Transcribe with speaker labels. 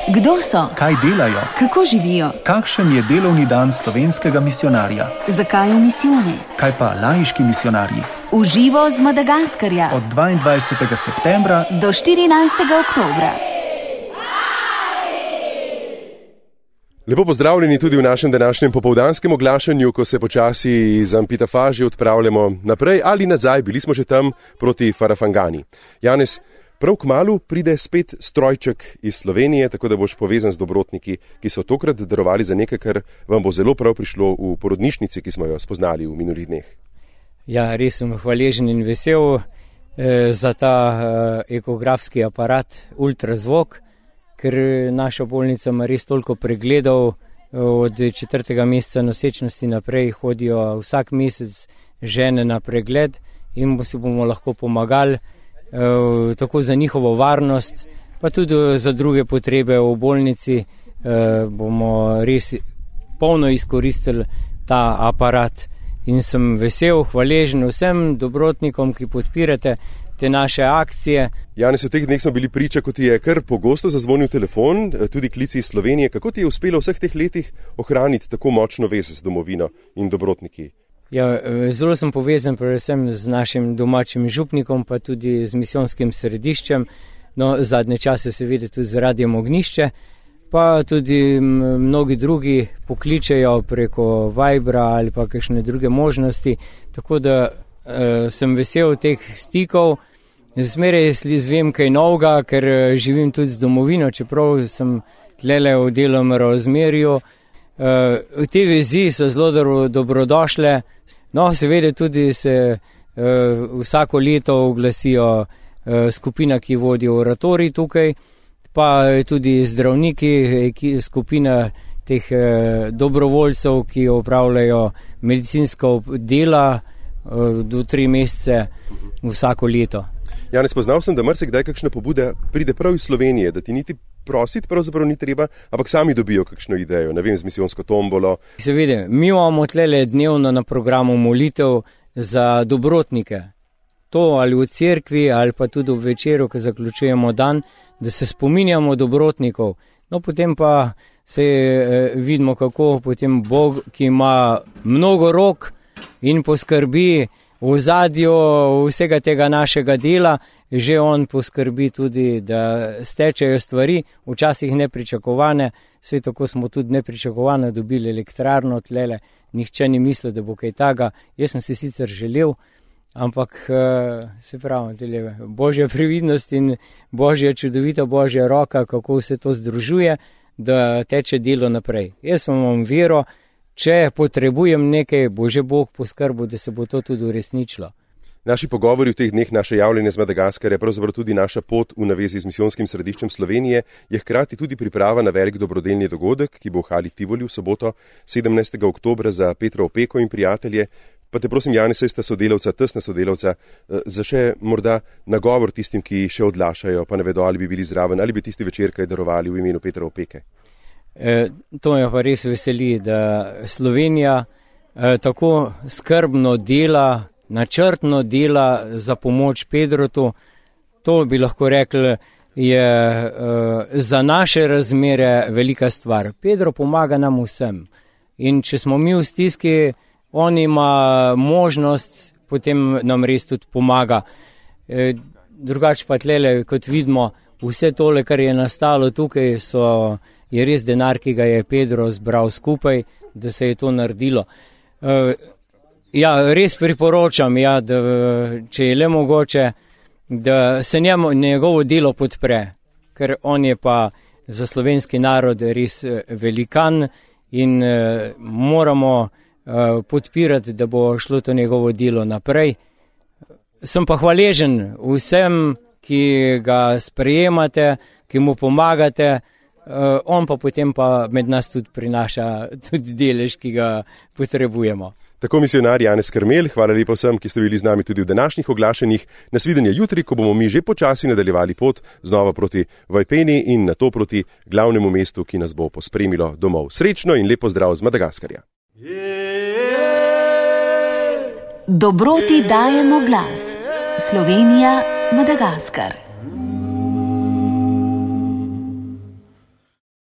Speaker 1: Kdo so?
Speaker 2: Kaj delajo?
Speaker 1: Kako živijo?
Speaker 2: Kakšen je delovni dan slovenskega misijonarja?
Speaker 1: Zakaj v misijone?
Speaker 2: Kaj pa laiški misijonarji?
Speaker 1: V živo z Madagaskarja.
Speaker 2: Od 22. septembra
Speaker 1: do 14. oktobra.
Speaker 3: Lepo pozdravljeni tudi v našem današnjem popoldanskem oglašanju, ko se počasi iz Ampitafaži odpravljamo naprej ali nazaj. Bili smo že tam proti Farafangani. Janez, prav kmalu pride spet strojček iz Slovenije, tako da boš povezan z dobrotniki, ki so tokrat darovali za nekaj, kar vam bo zelo prav prišlo v porodnišnici, ki smo jo spoznali v minulih dneh.
Speaker 4: Ja, res sem hvaležen in vesel za ta ekografski aparat, ultrazvok, ker naša bolnica ima res toliko pregledov. Od 4. meseca nosečnosti naprej hodijo vsak mesec žene na pregled in si bomo lahko pomagali tako za njihovo varnost, pa tudi za druge potrebe v bolnici. Bomo res polno izkoristili ta aparat in sem vesel, hvaležen vsem dobrotnikom, ki podpirate te naše akcije.
Speaker 3: Janez, v teh dneh smo bili priča, ko ti je kar pogosto zazvonil telefon, tudi klici iz Slovenije. Kako ti je uspelo v vseh teh letih ohraniti tako močno vez z domovino in dobrotniki?
Speaker 4: Ja, zelo sem povezan predvsem z našim domačim župnikom, pa tudi z misijonskim središčem. No, zadnje čase seveda tudi z Radiem Ognjišče, pa tudi mnogi drugi pokličejo preko Vibra ali pa kakšne druge možnosti. Tako da sem vesel teh stikov. Zmeraj izvem kaj novega, ker živim tudi z domovino, čeprav sem tlele v delom razmerju. Te vezi so zelo dobrodošle. No, seveda tudi se vsako leto oglasijo skupina, ki vodi oratorij tukaj, pa tudi zdravniki, skupina teh dobrovoljcev, ki opravljajo medicinsko dela do 3 mesece vsako leto.
Speaker 3: Janez, poznal sem, da marsikdaj kakšna pobuda pride prav iz Slovenije, da ti niti prositi pravzaprav ni treba, ampak sami dobijo kakšno idejo, ne vem, z misijonsko tombolo.
Speaker 4: Seveda, mi imamo tlele dnevno na programu molitev za dobrotnike. To ali v cerkvi, ali pa tudi v večeru, ko zaključujemo dan, da se spominjamo dobrotnikov. No, potem pa se vidimo, kako potem Bog, ki ima mnogo rok in poskrbi v ozadju vsega tega našega dela, že on poskrbi tudi, da stečejo stvari, včasih nepričakovane. Vse tako smo tudi nepričakovane dobili elektrarno tlele, nihče ni mislil, da bo kaj taga. Jaz sem si sicer želel, ampak se pravi, Božja previdnost in Božja čudovita Božja roka, kako vse to združuje, da teče delo naprej. Jaz imam vero, če potrebujem nekaj, bo že Bog poskrbel, da se bo to tudi uresničilo.
Speaker 3: Naši pogovori v teh dneh, naše javljanje z Madagaskarja, pravzaprav tudi naša pot v navezi z misijonskim središčem Slovenije, je hkrati tudi priprava na velik dobrodelni dogodek, ki bo v Hali Tivoli v soboto 17. oktobra za Petra Opeko in prijatelje. Pa te prosim, Janez, saj sta sodelavca, tesna sodelavca, za še morda nagovor tistim, ki še odlašajo, pa ne vedo, ali bi bili zraven, ali bi tisti večer kaj darovali v imenu Petra Opeke.
Speaker 4: To me pa res veseli, da Slovenija tako skrbno dela, načrtno dela za pomoč Pedrotu. To bi lahko rekli, je za naše razmere velika stvar. Pedro pomaga nam vsem in če smo mi v stiski, on ima možnost, potem nam res tudi pomaga. Drugače pa tlele, kot vidimo, vse tole, kar je nastalo tukaj, je res denar, ki ga je Pedro zbral skupaj, da se je to naredilo. Ja, res priporočam, da če je le mogoče, da se njegovo delo podpre, ker on je pa za slovenski narod res velikan in moramo podpirati, da bo šlo to njegovo delo naprej. Sem pa hvaležen vsem, ki ga sprejemate, ki mu pomagate, on pa potem pa med nas tudi prinaša tudi delež, ki ga potrebujemo.
Speaker 3: Tako misionar Janez Karmel, hvala lepa vsem, ki ste bili z nami tudi v današnjih oglašanjih. Nasvidenje jutri, ko bomo mi že počasi nadaljevali pot znova proti Vajpeni in nato proti glavnemu mestu, ki nas bo pospremilo domov. Srečno in lepo zdrav z Madagaskarja.
Speaker 1: Dobroti dajemo glas. Slovenija, Madagaskar.